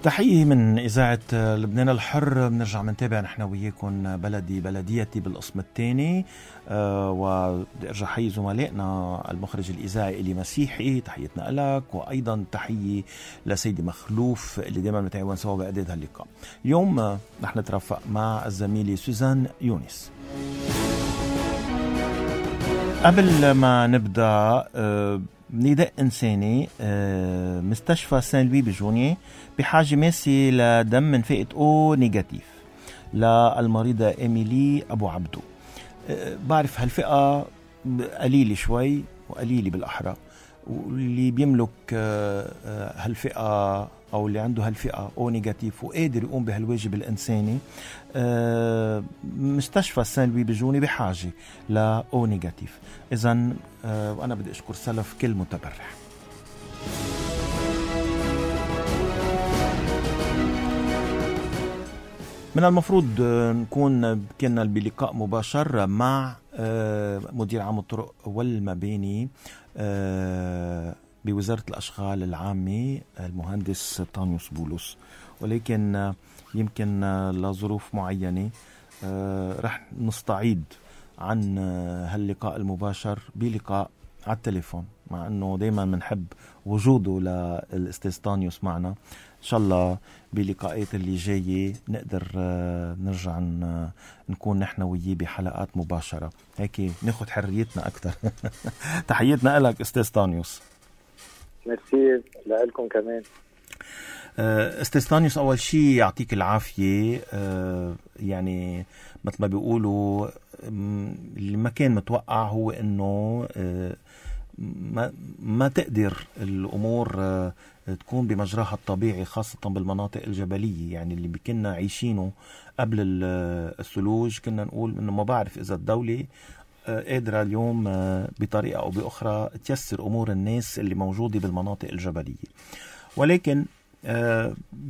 تحية من إذاعة لبنان الحر. بنرجع منتابع نحن وياكم بلدي بلديتي بالقسم الثاني، وبدي أرجع حي زملائنا المخرج الإذاعي إلي مسيحي، تحيتنا لك، وأيضا تحية لسيدي مخلوف اللي دائما متعاون سوا بإعداد هاللقاء. اليوم نحن نترافق مع الزميلة سوزان يونس. قبل ما نبدأ نداء إنساني، مستشفى سان لوي بجونية بحاجة ماسة لدم من فئة O نيجاتيف للمريضة إيميلي أبو عبدو. بعرف هالفئة قليلة شوي وقليلة بالأحرى، واللي بيملك هالفئة أو اللي عنده هالفئة O نيجاتيف وقادر يقوم بهالواجب الإنساني، مستشفى سان لوي بجوني بحاجة ل O نيجاتيف. إذن وأنا بدي أشكر سلف كل متبرع. من المفروض نكون كنا بلقاء مباشر مع مدير عام الطرق والمباني بوزارة الأشغال العامة المهندس طانيوس بولس، ولكن يمكن لظروف معينة رح نستعيد عن هاللقاء المباشر بلقاء على التليفون، مع أنه دايما منحب وجوده للأستاذ طانيوس معنا. إن شاء الله بلقاءات اللي جاية نقدر نرجع نكون نحن وياه بحلقات مباشرة، هيك ناخد حريتنا أكتر. تحياتنا لك أستاذ طانيوس. ميرسي لكم كمان. أستاذ طانيوس، أول شيء يعطيك العافية. يعني مثل ما بيقولوا اللي ما كان متوقع هو أنه ما تقدر الأمور تكون بمجراها الطبيعي، خاصة بالمناطق الجبلية. يعني اللي كنا عايشينه قبل الثلوج كنا نقول أنه ما بعرف إذا الدولة قادرة اليوم بطريقة أو بأخرى تيسر أمور الناس اللي موجودة بالمناطق الجبلية، ولكن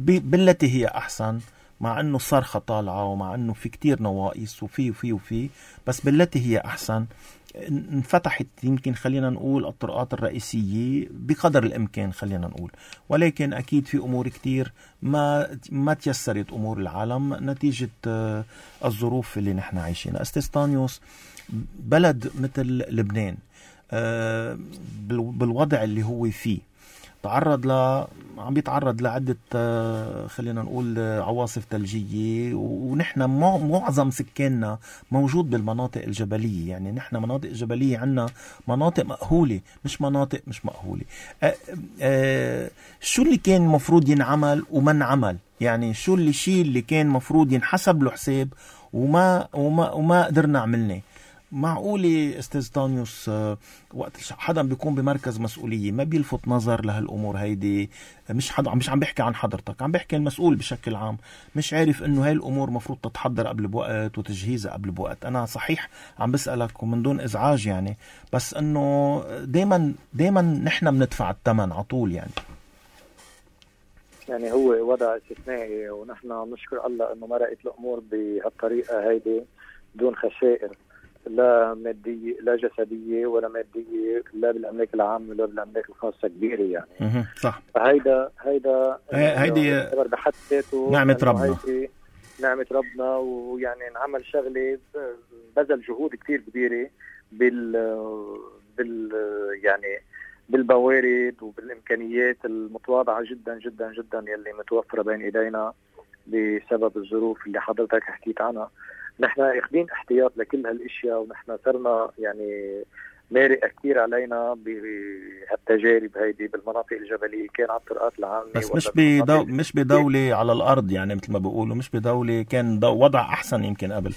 بالتي هي أحسن، مع أنه الصرخة طالعة ومع أنه في كتير نواقص وفي بس بالتي هي أحسن انفتحت يمكن خلينا نقول الطرقات الرئيسية بقدر الإمكان خلينا نقول، ولكن أكيد في أمور كتير ما تيسرت أمور العالم نتيجة الظروف اللي نحن عايشينها. أستاذ طانيوس، بلد مثل لبنان بالوضع اللي هو فيه عم بيتعرض لعدة خلينا نقول عواصف ثلجية، ونحن معظم سكاننا موجود بالمناطق الجبلية. يعني نحن مناطق جبلية، عنا مناطق مأهولة مش مناطق مش مأهولة. شو اللي كان مفروض ينعمل وما انعمل؟ يعني شو الشيء اللي كان مفروض ينحسب له حساب وما قدرنا عملناه؟ معقولة أستاذ طانيوس وقت حدا بيكون بمركز مسؤولية ما بيلفت نظر لهالأمور هيدي؟ مش عم بحكي عن حضرتك، عم بحكي المسؤول بشكل عام، مش عارف إنه هاي الأمور مفروض تتحضر قبل بوقت وتجهيزها قبل بوقت. أنا صحيح عم بسألك ومن دون إزعاج يعني، بس إنه دايما نحن بندفع الثمن عطول. يعني هو وضع استثنائي، ونحن نشكر الله إنه مرقت الأمور بهالطريقة هيدي دون خسائر لا مادية لا جسدية ولا مادية، لا بالأملاك العامة ولا بالأملاك الخاصة كبيرة يعني. صح. فهيدا هيدي بحد ذاته نعمة ربنا، نعمة ربنا. ويعني نعمل شغلة بذل جهود كتير كبيرة يعني بالموارد وبالإمكانيات المتواضعة جدا جدا جدا يلي متوفرة بين إيدينا بسبب الظروف اللي حضرتك حكيت عنها. نحن اخذين احتياط لكل هالاشياء، ونحن صرنا يعني مارق كثير علينا بهالتجارب هيدي بالمناطق الجبليه، كان على الطرقات العامه بس مش بدولة على الارض، يعني مثل ما بيقولوا مش بدولة كان وضع احسن يمكن قبل.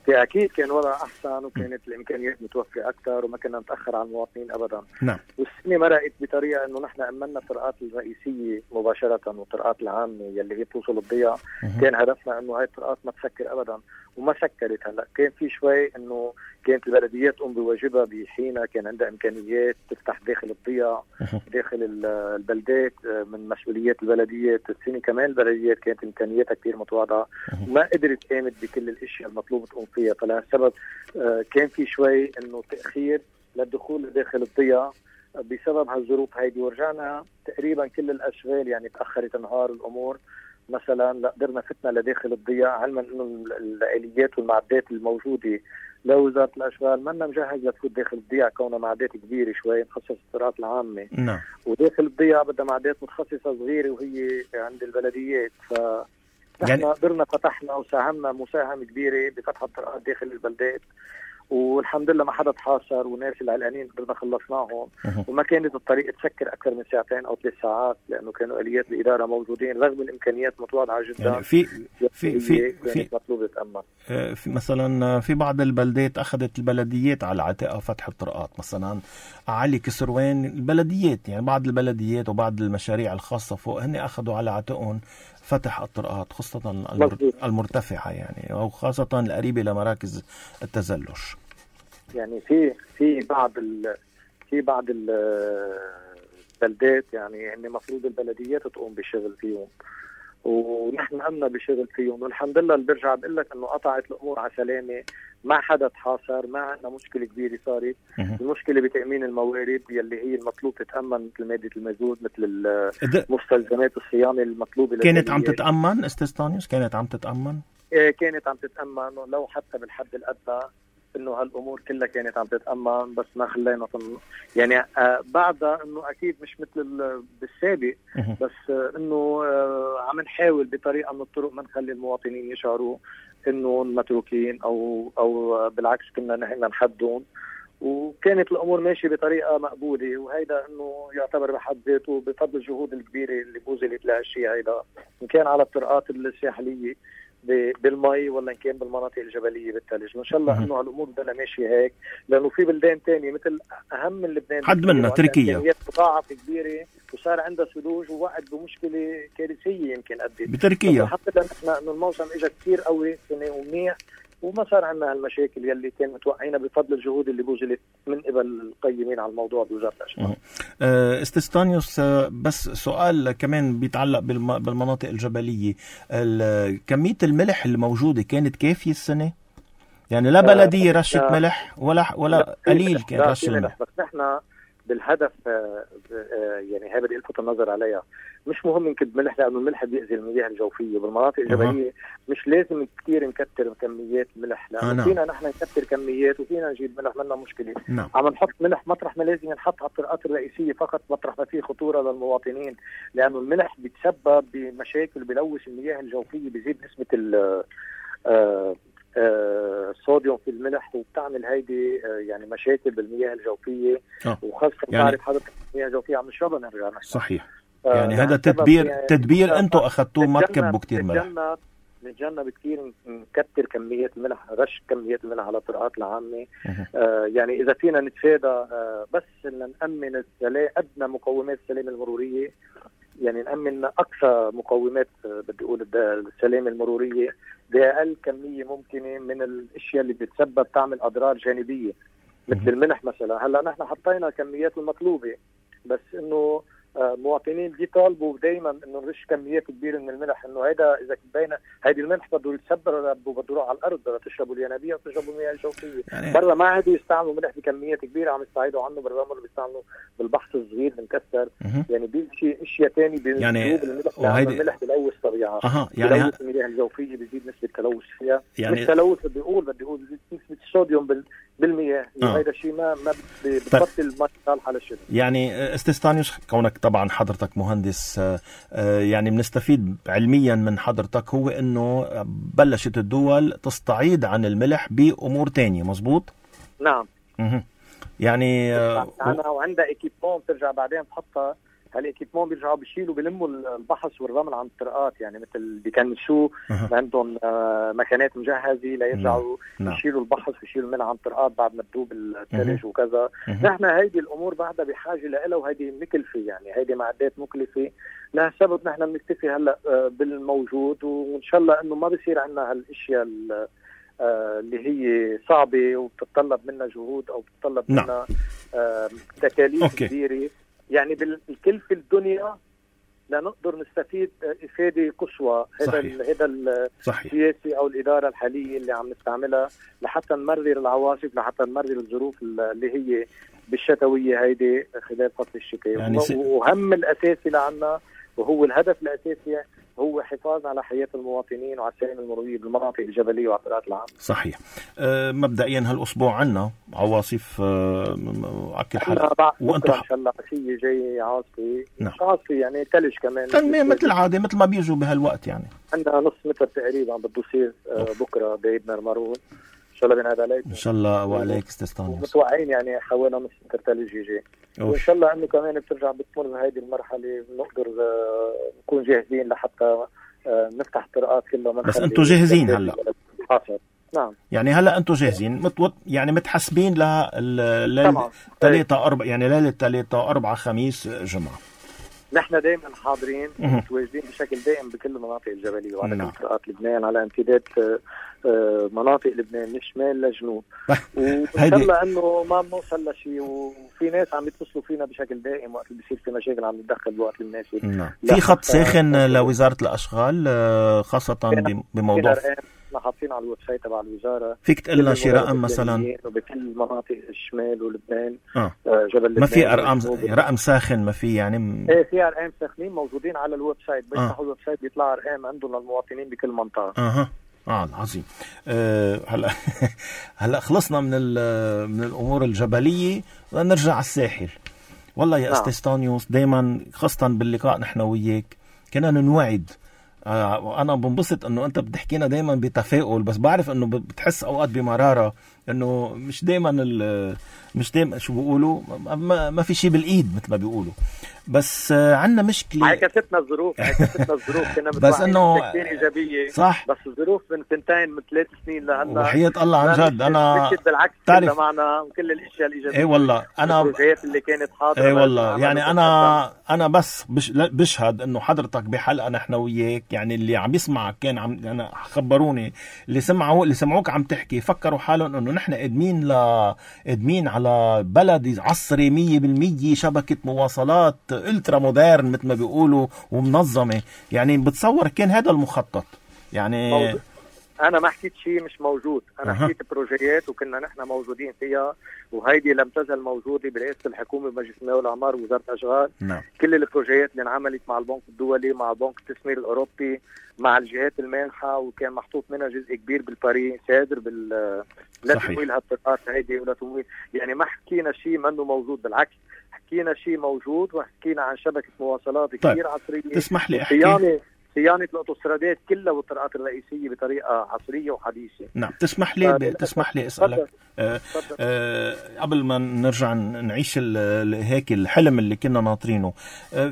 في أكيد كان وضع أحسن وكانت الإمكانيات متوفرة أكثر وما كنا نتأخر على المواطنين أبدا. نعم. والسنة مرقت بطريقة إنه نحن أمنا الطرقات الرئيسية مباشرة والطرقات العامة يلي هي توصل الضياء. كان هدفنا إنه هاي الطرقات ما تسكر أبدا، وما سكرت. هلا كان في شوي إنه كانت البلديات تقوم بواجبها بحينها، كان عندها إمكانيات تفتح داخل الضياء داخل البلدات من مسؤوليات البلديات. السنة كمان البلديات كانت إمكانياتها كتير متواضعة وما قدرت قامت بكل الأشياء المطلوبة تقوم فيها. فلهالسبب كان في شوي إنه تأخير للدخول داخل الضياء بسبب هالظروف هيدي، ورجعنا تقريبا كل الاشغال يعني تاخرت نهار الامور مثلا، لا قدرنا فتنا لداخل الضياع، علما انه الاليات والمعدات الموجوده لوزاره الاشغال منا مجهز لتفوت داخل الضياع، كونها معدات كبيره شوي مخصصه الطرقات العامه. نعم. وداخل الضياع بدها معدات متخصصه صغيره وهي عند البلديات، نحن يعني قدرنا فتحنا وساهمنا مساهمه كبيره بفتح الطرقات داخل البلدات، والحمد لله ما حدا تحاصر، وناس العلقانين قدرنا خلصناهم. وما كانت الطريق تسكر اكثر من 2 أو 3 ساعات، لانه كانوا اليات الاداره موجودين رغم الامكانيات متواضعه جدا. يعني في مطلوب تامن. في مثلا في بعض البلدات اخذت البلديات على عاتقها فتح الطرقات، مثلا علي كسروان البلديات، يعني بعض البلديات وبعض المشاريع الخاصه فوق هن اخذوا على عاتقهم فتح الطرقات، خاصه المرتفعه يعني، او خاصه القريبه لمراكز التزلج. يعني في بعض البلدات يعني ان المفروض البلديات تقوم بشغل فيهم، ونحن قمنا بشغل فيهم، والحمد لله اللي برجع بقول لك انه قطعت الامور على سلامه، ما حدا تحاصر، ما عندنا مشكله كبيره صارت. المشكله بتامين الموارد يلي هي المطلوب تتامن، مثل ماده المازوت، مثل مستلزمات الصيانه المطلوبه. كانت عم تتامن استاذ؟ كانت عم تتامن؟ كانت عم تتامن، ولو حتى بالحد الادنى انه هالامور كلها كانت عم تتامن، بس ما خلينا يعني بعدها انه اكيد مش مثل بالسابق، بس انه عم نحاول بطريقه من الطرق ما نخلي المواطنين يشعروا انه متروكين او بالعكس كنا نحن نحدهم، وكانت الامور ماشيه بطريقه مقبوله. وهيدا انه يعتبر بحد ذاته بفضل الجهود الكبيره اللي بوزلت لهالشيء هيدا، ان كان على الطرقات الساحليه بالمي ولا ان كان بالمناطق الجبليه بالثلج. وان شاء الله انه هالامور بدنا ماشيه هيك، لانه في بلدان ثانيه مثل اهم من لبنان حد منها تركيا مضاعفه كبيره وصار عندها ثلوج ووقعت بمشكله كارثيه يمكن قدي بتركيا. حتى نحن انه الموسم اجى كثير قوي سنه ومنيح، وما صار عندنا هالمشاكل يلي كان متوقعينها بفضل الجهود اللي بوزلت من قبل القيمين على الموضوع بوزارة الأشغال. استاذ ستانيوس، بس سؤال كمان بيتعلق بالمناطق الجبلية، كمية الملح اللي موجودة كانت كافية السنة؟ يعني لا بلدية رشة ملح ولا قليل كان رش الملح. بس نحن بالهدف يعني هذا بدي الفت النظر عليها، مش مهم نكب ملح لانه الملح بيأذي المياه الجوفيه بالمناطق الجبليه. مش لازم كثير نكتر كميات ملح، لانه فينا نحن نكتر كميات وفينا نجيب ملح، منا مشكله. عم نحط ملح مطرح ما لازم نحط على الطرقات الرئيسيه فقط، مطرح ما فيه خطوره للمواطنين، لانه الملح بيتسبب بمشاكل، بلوث المياه الجوفيه، بيزيد نسبه الصوديوم في الملح، وبتعمل هيدي يعني مشاكل بالمياه الجوفيه، وخاصه يعني تعرف حضرتك المياه الجوفيه عم نشربها نرجع نحن. صحيح. يعني هذا تدبير انتم اخذتوه، ما تكبوا كثير ملح. نتجنب كثير نكتر كمية الملح، رش كمية الملح على الطرقات العامة. يعني إذا فينا نتفادى بس نأمن أدنى مقومات السلامة المرورية، يعني نأمن أقصى مقومات بدي أقول السلامة المرورية بأقل كمية ممكنة من الأشياء اللي بتسبب تعمل أضرار جانبية مثل الملح مثلا. هلا نحن حطينا كميات المطلوبة، بس إنه مواطنين بيطالبوا دائما انه نرش كميات كبيره من الملح، انه هيدا اذا بين هيدي الملح بده يتسبر، بده يروح على الارض، بدها تشربوا الينابيع وتشربوا المياه الجوفيه. يعني برا ما عادوا يستعملوا ملح بكميات كبيره، عم يستعيدوا عنه بالرمل، بيستعملوا بالبحث الصغير بنكسر. يعني بيجي اشياء ثانيه يعني الملح بلوث طبيعه، يعني بلوث المياه الجوفيه، بيزيد نسبه التلوث فيها. يعني مش تلوث، بدي اقول نسبه الصوديوم بالمياه. هذا الشيء ما بتبطل الماء صالحه للشرب. يعني استاذ ستانيوس، كونك طبعا حضرتك مهندس، يعني بنستفيد علميا من حضرتك، هو انه بلشت الدول تستعيد عن الملح بامور تانية، مزبوط؟ نعم. يعني وعندها ايكيبمون بترجع بعدين تحطها. هالايكيبمون بيرجعوا بيشيلوا بلموا البحث والرمل عن الطرقات، يعني مثل بيكنسوا عندهم مكانات مجهزه ليرجعوا يشيلوا البحث ويشيلوا الملح عن الطرقات بعد ما تذوب الثلج وكذا. نحن هيدي الامور بعدها بحاجه لها، وهيدي مكلفه، يعني هيدي معدات مكلفه. لها سبب نحن بنكتفي هلا بالموجود، وان شاء الله انه ما بصير عندنا هالاشياء اللي هي صعبه وبتتطلب منا جهود او بتتطلب منا تكاليف كبيره. يعني بالكلفة الدنيا لنقدر نستفيد إفادة قصوى. هذا السياسي أو الإدارة الحالية اللي عم نستعملها لحتى نمرر العواصف، لحتى نمرر الظروف اللي هي بالشتويه هيدي خلال فصل الشتاء. يعني وهم الاساسي لعنا وهو الهدف الاساسي هو حفاظ على حياة المواطنين وعلى السلامة المرورية بالمناطق الجبلية وعلى الطرقات العامة. صحيح. مبدئيا هالأسبوع عنا عواصف أكل حرق وأنتم إن شاء الله عشية جاي عاصفة. نعم. مش عاصفة يعني تلج كمان مثل العادة مثل ما بيجوا بهالوقت يعني. عندنا نص متر تقريبا بده يصير بكرة بإيدنا المرون إن شاء الله بنعاد عليك. إن شاء الله وعليك استاذ متوقعين يعني حوالي نص متر تلج يجي. وإن شاء الله إنه كمان بترجع بتمر بهيدي المرحلة بنقدر نكون جاهزين لحتى نفتح الطرقات كلها. بس أنتوا جاهزين هلا؟ نعم. يعني هلا أنتوا جاهزين يعني متحسبين لليلة 3-4 يعني ليلة 3-4 خميس جمعة. نحن دائما حاضرين متواجدين بشكل دائم بكل المناطق الجبلية وعلى كل طرقات لبنان على امتداد مناطق لبنان من شمال لجنوب. وإن شاء الله إنه ما بنوصل لشيء. وفي ناس عم يتصلوا فينا بشكل دائم وقت اللي بيصير في مشاكل عم نتدخل بوقت المناسب. في خط ساخن لوزارة الأشغال خاصة بموضوع احنا حاطين على الويب سايت تبع الوزاره. فيك تقول لنا شي رقم مثلا بكل مناطق الشمال ولبنان جبل لبنان ما في رقم ساخن ما في يعني ايه في ارقام ساخنين موجودين على الويب سايت. بيفتحوا الويب سايت بيطلع ارقام عندهم للمواطنين بكل منطقه. عظيم. هلا خلصنا من الامور الجبليه ونرجع على الساحل. والله يا استاذ ستانيوس دائما خاصه باللقاء نحن وياك كنا نوعد. وانا بنبسط انه انت بتحكينا دايما بتفاؤل بس بعرف انه بتحس اوقات بمراره انه مش دايما شو بيقولوا ما في شيء بالايد مثل ما بيقولوا. بس عندنا مشكله عكستنا الظروف كنا بس انه ايجابيه صح. بس الظروف من 2 من 3 سنين لهلا وحياة الله عن جد انا بالعكس تعرف معنا كل الاشياء الايجابيه. اي والله انا البروجيات اللي كانت حاضره. اي والله يعني انا بس بشهد انه حضرتك بحلقه نحن وياك يعني اللي عم يسمعك كان انا خبروني اللي سمعوك عم تحكي فكروا حالهم انه نحن قادمين على بلد عصري 100% شبكه مواصلات الترا مودرن مثل ما بيقولوا ومنظمه. يعني بتصور كان هذا المخطط يعني موجود. انا ما حكيت شيء مش موجود. انا حكيت بروجيات وكنا نحن موجودين فيها وهيدي لم تزل موجوده برئاسه الحكومه بمجلس المال والاعمار ووزاره الاشغال. كل البروجيات اللي انعملت مع البنك الدولي مع بنك التسمير الاوروبي مع الجهات المانحه وكان محطوط منها جزء كبير بالباري سادر لا تمويل هالطرقات هيدي ولا تمويل. يعني ما حكينا شيء منه موجود بالعكس حكينا شيء موجود وحكينا عن شبكه مواصلات كثير عصريه. تسمح لي احكي صيانة الأوتوسترادات كلها والطرقات الرئيسية بطريقة عصرية وحديثة. نعم. تسمح لي أسألك قبل ما نرجع نعيش هيك الحلم اللي كنا ناطرينه.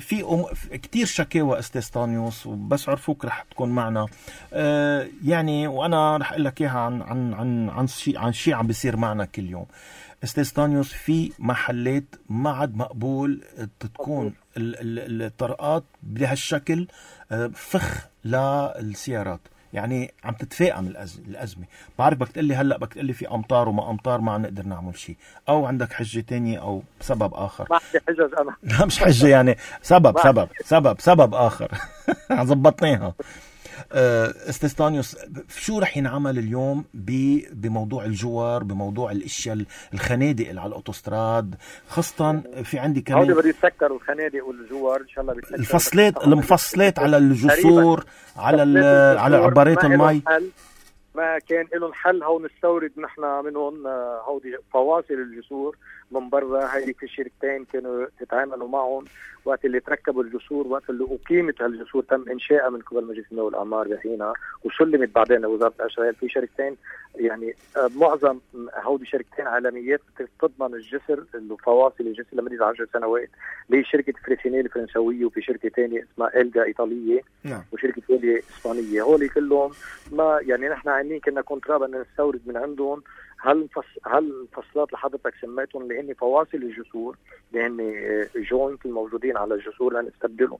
في كتير شكاوى استاذ ستانيوس وبس عرفوك رح تكون معنا يعني وأنا رح أقول لك إياها عن شيء عم بيصير معنا كل يوم. استاذ ستانيوس في محلات ما عاد مقبول تكون الطرقات بهالشكل فخ للسيارات. يعني عم تتفاقم الأزمة. بعرف بدك تقلي هلأ بدك تقلي في أمطار وما أمطار ما عم نقدر نعمل شيء أو عندك حجة تانية أو سبب آخر. ما عندي حجج أنا. لا مش حجة يعني سبب آخر. زبطناها. استاذ ستانيوس شو رح ينعمل اليوم بموضوع الجوار بموضوع الاشياء الخنادق اللي على الاوتوستراد خاصه في عندي كمان هودي بده يسكروا الخنادق والجوار ان شاء الله المفصلات على الجسور على عبارات المي ما كان لهم حل. هون نستورد نحن منهم هودي فواصل الجسور من برا. هيدي في شركتين كانوا يتعاملوا معهم وقت اللي تركبوا الجسور وقت اللي أقيمت هالجسور تم إنشائها من قبل مجلس المال والأعمار بحينها وسلمت بعدين لوزارة الأشغال. في شركتين يعني معظم هودي شركتين عالميات تضمن الجسر الفواصل الجسر لمدة 10 سنوات اللي هي شركة فريسينيل الفرنسوية وفي شركة ثانية اسمها إلجا إيطالية وشركة ثانية إسبانية. هولي كلهم ما يعني نحن عاملين كنا كونترا بدنا نستورد من عندهم هالمفصلات اللي حضرتك سميتهم اللي هن فواصل الجسور اللي هن جوينت الموجودين على الجسور لنستبدلهم.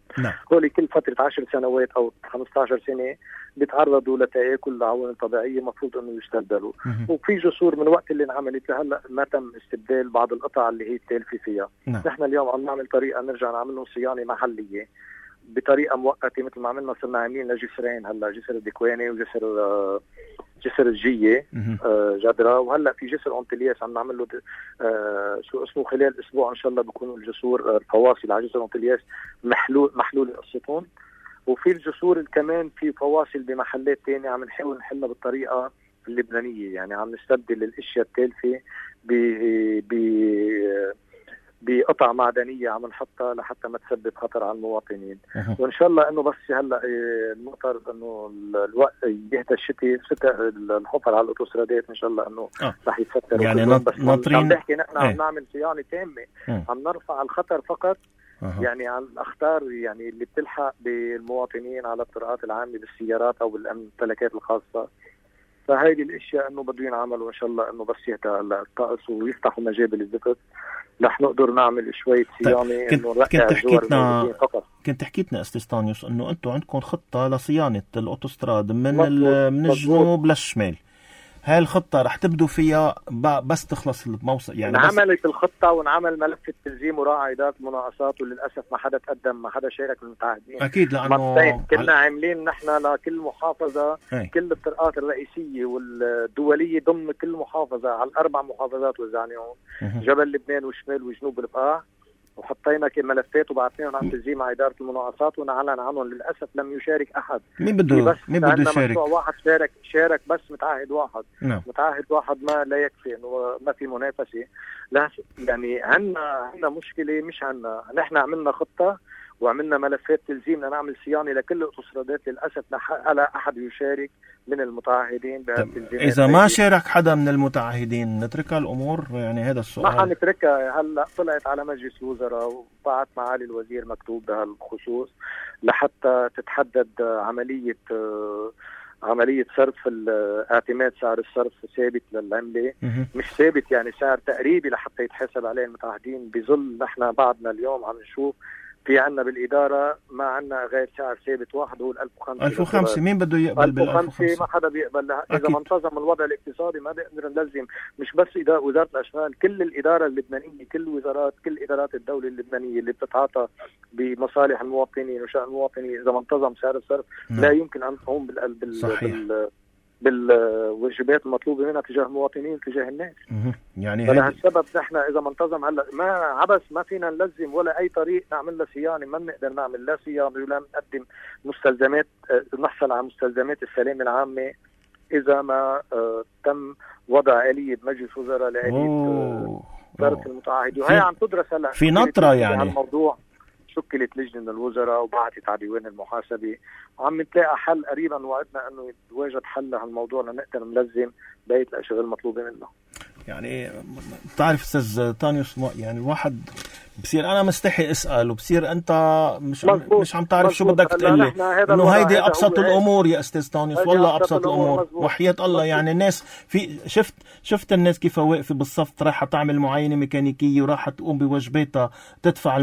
هولي كل فترة 10 سنوات أو 15 سنة بيتعرضوا لتآكل العوامل الطبيعية مفروض أنه يستبدلوا. وفي جسور من وقت اللي انعملت لهلا ما تم استبدال بعض القطع اللي هي التالفة فيها. نحن اليوم عم نعمل طريقة نرجع نعمل لهم صيانة محلية بطريقة مؤقتة مثل ما عملنا صرنا عاملين لجسرين هلا جسر الدكواني وجسر جسر الجية جدرة، وهلا في جسر أنطلياس عم نعمل له شو اسمه خلال اسبوع ان شاء الله بيكونوا الجسور الفواصل على جسر أنطلياس محلول قصتهم. وفي الجسور كمان في فواصل بمحلات تانية عم نحاول نحلها بالطريقة اللبنانية، يعني عم نستبدل الاشياء التالفة بقطع معدنية عم نحطها لحتى ما تسبب خطر على المواطنين. وإن شاء الله إنه بس هلأ المطر إنه الوقت يهدى الشتاء الحفر على الأوتوسترادات إن شاء الله إنه رح يتفتر. يعني ناطرين عم نحكي نحن عم نعمل صيانة تامة، عم نرفع الخطر فقط يعني عن الأخطار يعني اللي بتلحق بالمواطنين على الطرقات العامة بالسيارات أو بالممتلكات الخاصة. فهيدي الاشياء انه بده ينعمل، وان شاء الله انه بس يهدى الطقس ويفتحوا مجابل الزفت رح نقدر نعمل شويه صيانه. كنت حكيتنا استاذ طانيوس انه انتم عندكم خطه لصيانه الاوتوستراد من الجنوب للشمال. هاي الخطة رح تبدو فيها بس تخلص الموسم يعني انعملت الخطة ونعمل ملف التلزيم وراعي إدارة المناقصات، وللأسف ما حدا تقدم ما حدا شارك من المتعهدين. أكيد لأنه كنا عاملين نحن لكل محافظة كل الطرقات الرئيسية والدولية ضمن كل محافظة على الأربع محافظات وزعناهم جبل لبنان وشمال وجنوب البقاع، وحطينا ملفات وبعثناهم على التلزيم مع إدارة المناقصات ونعلن عنهم. للأسف لم يشارك أحد. مين بده يشارك؟ واحد شارك بس متعهد واحد. متعهد واحد ما لا يكفي إنه ما في منافسة. لا يعني عنا مشكلة، مش عنا نحن عملنا خطة وعملنا ملفات تلزيمنا نعمل صيانة لكل الأوتوسترادات. للأسف لا أحد يشارك من المتعهدين بهالتلزيمات. إذا ما شارك حدا من المتعهدين نتركها الأمور؟ يعني هذا السؤال ما حنتركها. هلا طلعت على مجلس الوزراء وبعت معالي الوزير مكتوب بهالخصوص لحتى تتحدد عملية صرف اعتماد سعر الصرف ثابت للعملة، مش ثابت يعني سعر تقريبي لحتى يتحسب عليه المتعهدين. بظل نحن بعدنا اليوم عم نشوف في عنا بالإدارة ما عنا غير سعر ثابت واحد هو 1500. مين بده يقبل بال1500؟ ما حدا بيقبل. إذا ما انتظم الوضع الاقتصادي ما بيقدر نلزم مش بس وزارة الأشغال، كل الإدارة اللبنانية، كل إدارات الدولة اللبنانية اللي بتتعاطى بمصالح المواطنين وشأن المواطنين، إذا ما انتظم سعر الصرف لا يمكن أن تقوم بالواجبات المطلوبة منها تجاه المواطنين تجاه الناس. يعني فلهالسبب نحن إذا ما انتظم هلا ما عبس ما فينا نلزم ولا أي طريق نعمل له صيانة. ما بنقدر نعمل لا صيانة ولا نقدم مستلزمات نحصل على مستلزمات السلامة العامة إذا ما تم وضع آلية بمجلس وزراء لآلية صرف المتعهدين. وهي عم تدرس هلا في نطرة يعني الموضوع. شكلت لجنة من الوزراء وبعثت على ديوان المحاسبة وعم نتلاقى حل قريبا. وعدنا انه يتواجد حل لهالموضوع لنقدر نلزم بقية الاشغال المطلوبة منا. يعني بتعرف استاذ طانيوس يعني الواحد بصير انا مستحي اسال وبصير انت مش عم تعرف شو بدك تقلي انه هيدي ابسط الامور يا استاذ طانيوس. والله ابسط الامور وحياة الله. يعني الناس في شفت الناس كيف واقفه بالصف رايحه تعمل معاينه ميكانيكيه ورايحه تقوم بواجباتها تدفع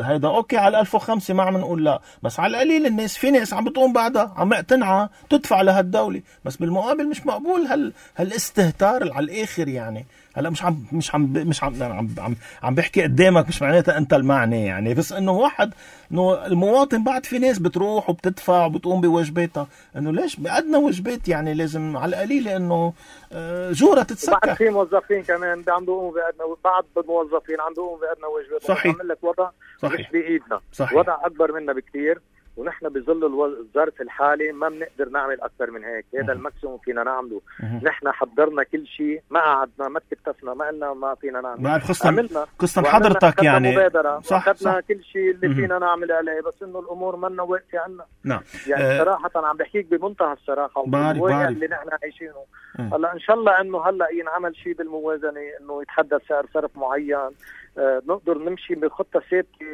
هيدا اوكي على 1005 ما عم نقول لا، بس على القليل الناس في ناس عم بتقوم بعدها عم تنعى تدفع لهالدوله، بس بالمقابل مش مقبول هالاستهتار على الاخر. يعني هلا عم بحكي قدامك مش معناتها انت المعني يعني، بس انه المواطن بعد في ناس بتروح وبتدفع وبتقوم بواجباتها، انه ليش بأدنى واجبات يعني لازم على القليل انه جورة تتسكر. بعد في موظفين كمان عم بيقوموا بأدنى، بعض الموظفين عم بيقوموا بأدنى واجبات. صحيح. عم لك وضع صحيح. مش بإيدنا. صحيح. وضع أكبر منا بكتير ونحن بظل الظرف الحالي ما بنقدر نعمل أكثر من هيك. هذا الماكسيموم فينا نعمله. نحن حضرنا كل شيء، ما قعدنا ما تكتفنا ما قلنا ما فينا نعمل. قصة حضرتك يعني صح. أخذنا كل شيء اللي فينا نعمل عليه، بس إنه الأمور منا واقفة عنا. نعم. يعني صراحة عم بحكيك بمنتهى الصراحة والواقع اللي نحن عايشينه. هلا إن شاء الله إنه هلا ينعمل شيء بالموازنة، إنه يتحدد سعر صرف معين، نقدر نمشي بخطة ثابتة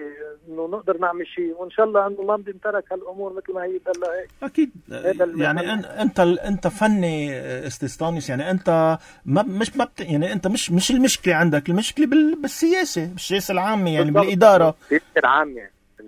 إنه نقدر نعمل شيء، وإن شاء الله إنه ما بنترك هالأمور مثل ما هي تضل هيك. أكيد. يعني أنت فني استاذ طانيوس، يعني أنت يعني أنت مش المشكلة عندك، المشكلة بالسياسة العامة يعني بالإدارة. السياسة العامة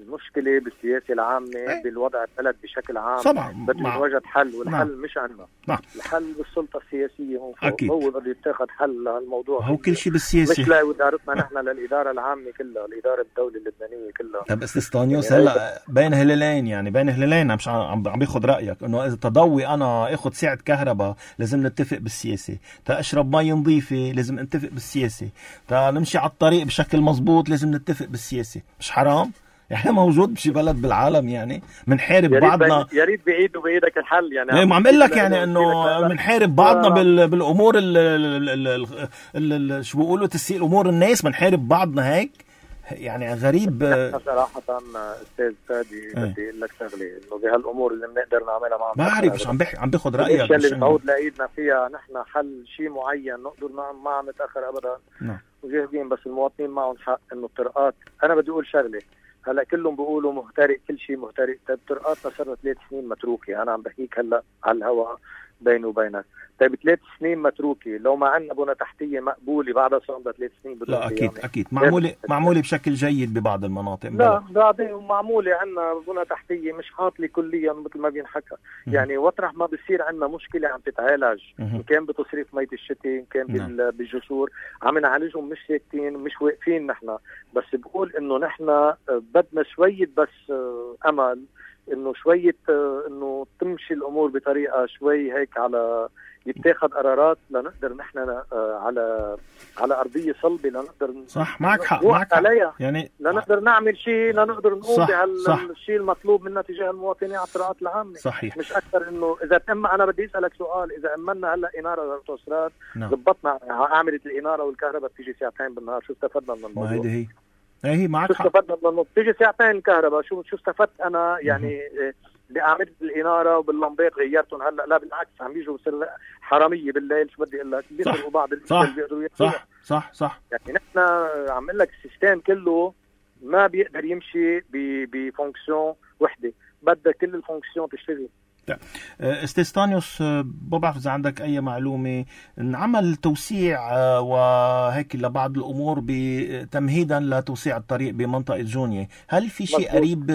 المشكله بالسياسه العامه بالوضع البلد بشكل عام بده يوجد حل، والحل مش عندنا. الحل بالسلطه السياسيه هون فوق. هو بده يتخذ حل للموضوع. هو كل شيء بالسياسه، مش لادارتنا نحن، للاداره العامه كلها، الاداره الدوله اللبنانيه كلها. طب استاذ هلا بين هلالين، يعني بين هلالين مش عم باخذ رايك انه اذا تضوي انا اخذ ساعه كهرباء لازم نتفق بالسياسه، اشرب مي نظيفه لازم نتفق بالسياسه، نمشي على الطريق بشكل مزبوط لازم نتفق بالسياسه. مش حرام؟ يعني موجود بشي بلد بالعالم يعني منحارب بعضنا. يا ريت بعيد وبايدك الحل يعني. ما عم اقول لك يعني انه منحارب بعضنا بالامور شو بيقولوا تسيء الامور الناس، منحارب بعضنا هيك يعني غريب. صراحه استاذ فادي بدي اقول لك شغله، انه بهالامور اللي بنقدر نعملها مع بعرف مش عم باخذ رايك، الاشياء اللي بنعود لايدنا فيها نحن حل شيء معين نقدر ما عم نتاخر ابدا. وجاهزين، بس المواطنين معهم حق انه الطرقات. انا بدي اقول شغله، هلا كلهم بيقولوا مهترئ، كل شيء مهترئ. طيب طرقاتنا صار 3 سنين متروكه، انا عم بحكيك هلا على الهواء بيني وبينك. طيب 3 سنين متروكه، لو ما عندنا بنى تحتيه مقبوله بعدها صار 3 سنين لا اكيد يعني. اكيد معموله بشكل جيد ببعض المناطق. لا بعدين معموله عندنا بنى تحتيه مش حاطله كليا مثل ما بينحكى. يعني وطرح ما بصير عندنا مشكله عم تتعالج، ان كان بتصريف ميه الشتاء، ان كان بالجسور، عم نعالجهم، مش ساكتين مش واقفين نحن. بس بقول انه نحن بدنا شويه بس امل، انه شويه انه تمشي الامور بطريقه شوي هيك، على يتاخذ قرارات لنقدر نحن على ارضيه صلبه لنقدر. صح، معك حق عليها يعني، لنقدر نعمل شيء، لنقدر نقوم بهالشيء المطلوب منا تجاه المواطنين على الطرقات العامه. صحيح. مش اكثر. انه اذا تم، انا بدي اسالك سؤال، اذا امنا هلا اناره للاوتوستراد، ضبطنا عملت الاناره والكهرباء بتيجي ساعتين بالنهار، شو استفدنا من الموضوع؟ ما هي معك حق. شو استفدنا من الموضوع؟ بتيجي ساعتين الكهرباء، شو استفدت انا يعني؟ عملت الاناره وباللمبات غيرتهم. هلا لا بالعكس، عم بيجوا حراميه بالليل. شو بدي اقول لك، بيسرقوا بعض الاشياء اللي بيقدروا ياخذوها. صح يعني نحن عم اقول لك السيستم كله ما بيقدر يمشي بفونكسيون وحده، بدها كل الفونكسيون تشتغل. استاذ طانيوس، بعرف اذا عندك اي معلومه، انعمل توسيع وهيك لبعض الامور تمهيدا لتوسيع الطريق بمنطقه جونيه، هل في شيء قريب؟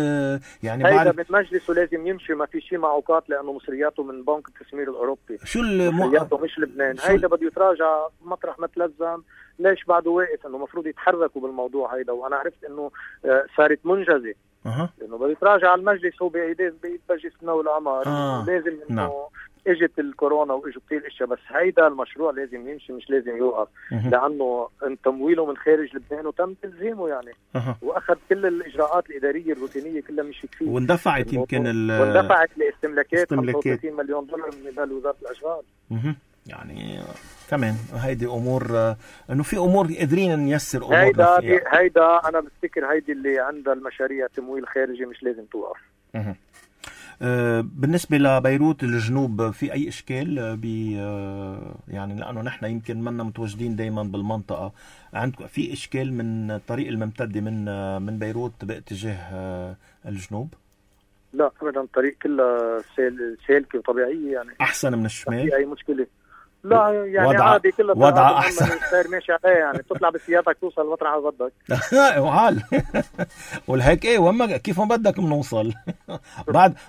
يعني هيدا من مجلسه لازم يمشي، ما في شيء معوقات، لانه مصرياته من بنك التسمير الاوروبي. شو مصرياته مش لبنان. هيدا بده يتراجع مطرح ما تلزم. ليش بعده واقف؟ انه المفروض يتحركوا بالموضوع هيدا، وانا عرفت انه صارت منجزه. انه بده يتراجع على المجلس، هو بايد مجلس منو العمر. لازم انه اجت الكورونا واجوا كثير اشياء، بس هيدا المشروع لازم يمشي، مش لازم يوقف. لانه تمويله من خارج لبنان وتم تلزيمه يعني. واخذ كل الاجراءات الاداريه الروتينيه كلها مشيت فيه، واندفعت يمكن واندفعت لاستملاكات 35 مليون دولار من قبل وزاره الاشغال. يعني كمان هيدي امور، انه في امور قادرين نيسر امور. هيدا انا بفتكر هيدي اللي عندها المشاريع تمويل خارجي مش لازم توقف. بالنسبه لبيروت الجنوب، في اي اشكال يعني لانه نحن يمكن منا متواجدين دائما بالمنطقه، عندكم في اشكال من الطريق الممتد من بيروت باتجاه الجنوب؟ لا ابدا، الطريق كلها سالكه وطبيعيه يعني. احسن من الشمال؟ في اي مشكله؟ لا يعني عادي، كلها وضع احسن ماشي عليه يعني. بتطلع بسيارتك توصل مطرح ما بدك. وحال والهيك وما كيف ما بدك بنوصل.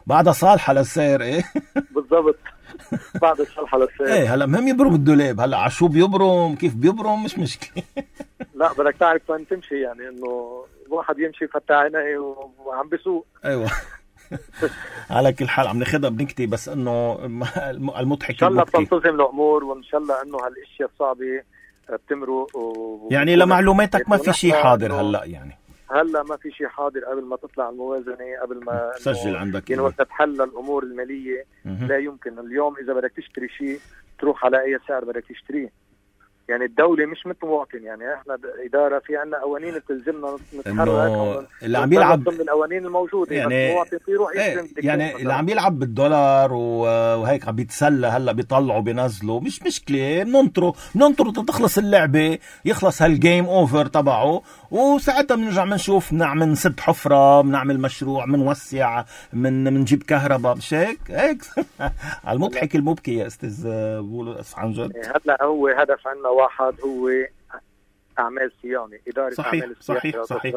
بعدها صالحه للسير. بالضبط، بعد صالحه للسير. هلا مهم يبرم الدولاب. هلا على شو بيبرم، كيف بيبرم، مش مشكله. لا بدك تعرف وين تمشي، يعني انه الواحد يمشي فتح عينيه وعم بيسوق. ايوه. على كل حال عم ناخذها بنكتي، بس انه المضحك ان شاء الله بتنتظم الامور، وان شاء الله انه هالاشياء الصعبه بتمرق. يعني لمعلوماتك ما في شيء حاضر هلا؟ يعني هلا ما في شيء حاضر قبل ما تطلع الموازنه، قبل ما تسجل عندك يعني وقت تحل الامور الماليه. لا يمكن اليوم اذا بدك تشتري شيء تروح على اي سعر بدك تشتريه. يعني الدولة مش مثل مواطن، يعني احنا إدارة في عنا قوانين بتلزمنا نتحرك. اللي عم يلعب ضمن القوانين الموجودة، يعني المواطن يروح يعني اللي عم يلعب بالدولار وهيك عم بيتسلى. هلا بيطلعوا بينزلوا، مش مشكلة، بننطروا تخلص اللعبة، يخلص هالجيم اوفر تبعه، وساعتها بنرجع بنشوف بنعمل نسد حفرة، بنعمل مشروع، بنوسع، بنجيب كهرباء، مش هيك على المضحك المبكي يا استاذ بولس عن جد. هلا هو هدف عنا واحد، هو اعمال صيانه، اداره صحيح اعمال صحيح صحيح.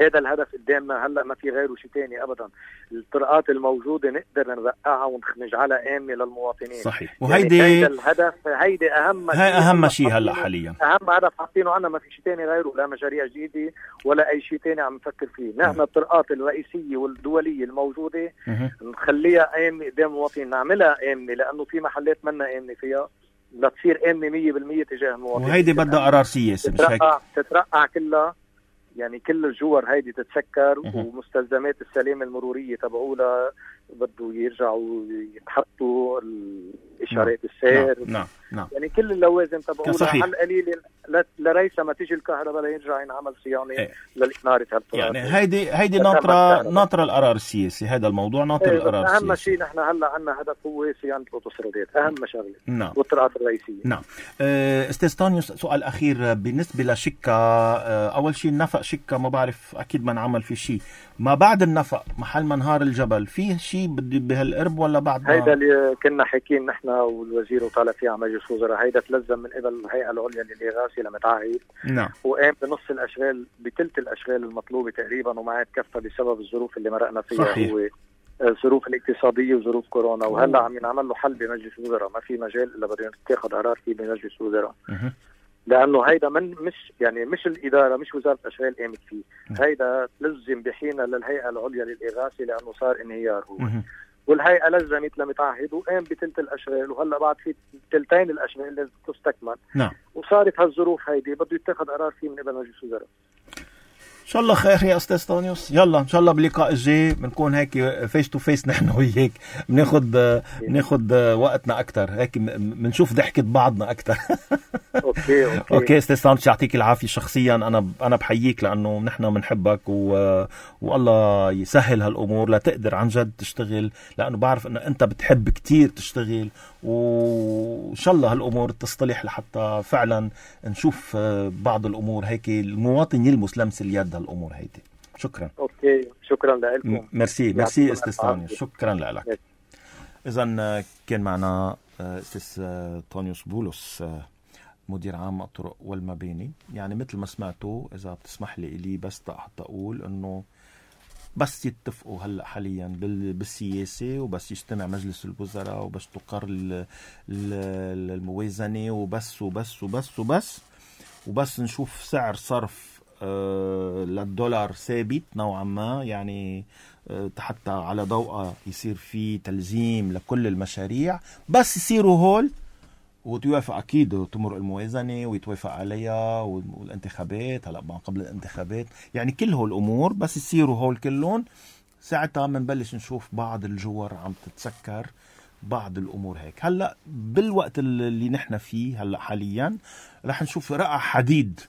هذا الهدف قدامنا هلا، ما في غيره شيء ثاني ابدا. الطرقات الموجوده نقدر نرقعها ونجعلها امنه للمواطنين. صحيح. وهيدي يعني الهدف، هيدي اهم شيء هلا حاليا، اهم هدف حاطينه عنا، ما في شيء ثاني غيره، لا مشاريع جديده ولا اي شيء ثاني عم نفكر فيه. نحن الطرقات الرئيسيه والدوليه الموجوده نخليها امنه قدام المواطنين، نعملها امنه، لانه في محلات منا امنه فيها، لتصير امنه 100% تجاه المواطنين. وهيدي بدها قرار سياسي، مش هيك؟ تترقع كلها، يعني كل الجوار هيدي تتسكر، ومستلزمات السلامه المروريه تبعولها بده يرجعوا يتحطوا الاشارات السير. نعم. يعني كل اللوازم تبعولها على القليل لريسا ما تيجي الكهرباء ليرجع ينعمل صيانه للإنارة هالطرق. يعني هيدي ناطره القرار السياسي، هذا الموضوع ناطر القرار السياسي. اهم شيء نحن هلا عندنا هدف هو صيانه الاوتوسترادات، اهم شغله. نعم. والطرقات الرئيسيه. نعم. استاذ طانيوس، سؤال اخير بالنسبه لشكا. اول شيء النفق شكا، ما بعرف اكيد ما نعمل في شيء. ما بعد النفق محل منهار الجبل في شيء بهالقرب ولا بعد؟ هيدا اللي كنا حاكيين نحن والوزير وطالع فيه على مجلس الوزراء، هيدا تلزم من قبل الهيئه العليا للاغاثه لمتعهد. نعم. وقام بنص الاشغال، بثلث الاشغال المطلوبه تقريبا، وما عاد كفى بسبب الظروف اللي مرقنا فيها. صحيح. هو الظروف الاقتصاديه وظروف كورونا، وهلا عم ينعمل له حل بمجلس الوزراء، ما في مجال الا بده يتخذ قرار فيه بمجلس الوزراء. لانه هيدا مش الاداره، مش وزاره الاشغال قامت فيه، هيدا لزم بحينه للهيئه العليا للاغاثه، لانه صار انهيار هو. والهيئه لزمت لمتعهد وقام بثلث الاشغال، وهلا بعد في ثلثين الاشغال لازم تستكمل. نعم. وصارت هالظروف هيدي بده يتخذ قرار فيه من قبل مجلس الوزراء. ان شاء الله خير يا استاذ طانيوس. يلا ان شاء الله باللقاء الجاي بنكون هيك فيس تو فيس نحن وياك، بناخذ وقتنا اكثر، هيك بنشوف ضحكه بعضنا اكثر. اوكي استاذ طانيوس، يعطيك العافيه. شخصيا انا بحييك لانه نحن بنحبك، والله يسهل هالامور لتقدر عن جد تشتغل، لانه بعرف ان انت بتحب كتير تشتغل، وان شاء الله هالامور تصطلح لحتى فعلا نشوف بعض الامور هيك المواطن يلمس لمس اليد هالامور هيدي. شكرا. اوكي، شكرا لكم. ميرسي استاذ طانيوس، شكرا لك. اذا كان معنا استاذ طانيوس بولس، مدير عام الطرق والمباني. يعني مثل ما سمعتوا، اذا بتسمح لي بس حتى اقول انه بس يتفقوا هلا حاليا بالسياسه، وبس يجتمع مجلس الوزراء، وبس تقر الموازنه، وبس نشوف سعر صرف للدولار ثابت نوعا ما، يعني حتى على ضوء يصير في تلزيم لكل المشاريع، بس يصيروا هول وتوافق أكيد وتمر الموازنة ويتوافق عليها، والانتخابات هلأ ما قبل الانتخابات، يعني كل هول الأمور بس يصيروا هول كلهم، ساعتها منبلش نشوف بعض الجوار عم تتسكر، بعض الأمور هيك. هلأ بالوقت اللي نحن فيه هلأ حاليا رح نشوف رقع حديد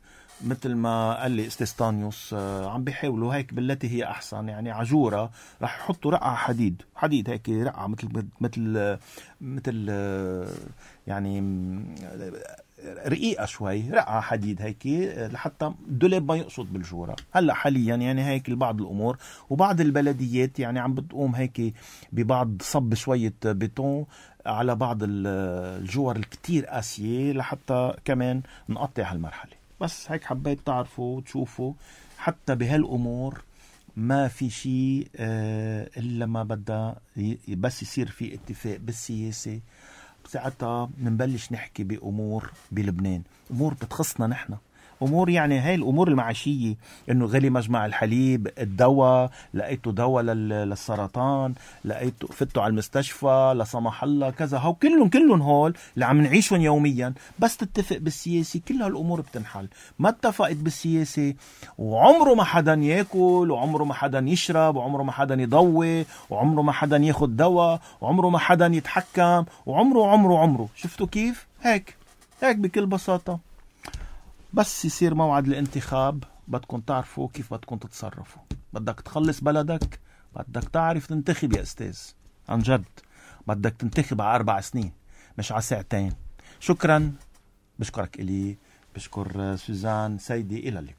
مثل ما قال لي استاذ طانيوس، عم بيحاولوا هيك بالتي هي احسن، يعني عجوره رح يحطوا رقعه حديد هيك، رقعه مثل يعني رقيقه شوي، رقعه حديد هيك لحتى الدولاب ما يقصد بالجوره. هلا حاليا يعني هيك بعض الامور، وبعض البلديات يعني عم بتقوم هيك ببعض صب شويه بيتون على بعض الجوار الكتير قاسيه لحتى كمان نقطع هالمرحله. بس هيك حبيت تعرفوا وتشوفوا حتى بهالأمور ما في شيء إلا ما بدأ بس يصير في اتفاق بالسياسة، ساعتها منبلش نحكي بأمور بلبنان، أمور بتخصنا نحن، أمور يعني هاي الأمور المعاشية، إنه غلي مجمع الحليب، الدواء، لقيته دواء للسرطان، لقيته فتوا على المستشفى لا سمح الله كذا، هو كلهم هول اللي عم نعيشهم يوميا. بس تتفق بالسياسة كل هالأمور بتنحل. ما اتفقت بالسياسة وعمره ما حدا ياكل، وعمره ما حدا يشرب، وعمره ما حدا يضوي، وعمره ما حدا ياخد دواء، وعمره ما حدا يتحكم، وعمره شفتوا كيف؟ هيك بكل بساطة. بس يصير موعد الانتخاب بدكم تعرفوا كيف بدكم تتصرفوا. بدك تخلص بلدك، بدك تعرف تنتخب يا أستاذ، عن جد بدك تنتخب على 4 سنين مش على 2 ساعة. شكرا، بشكرك إلي، بشكر سوزان سيدي، إلى اللقاء.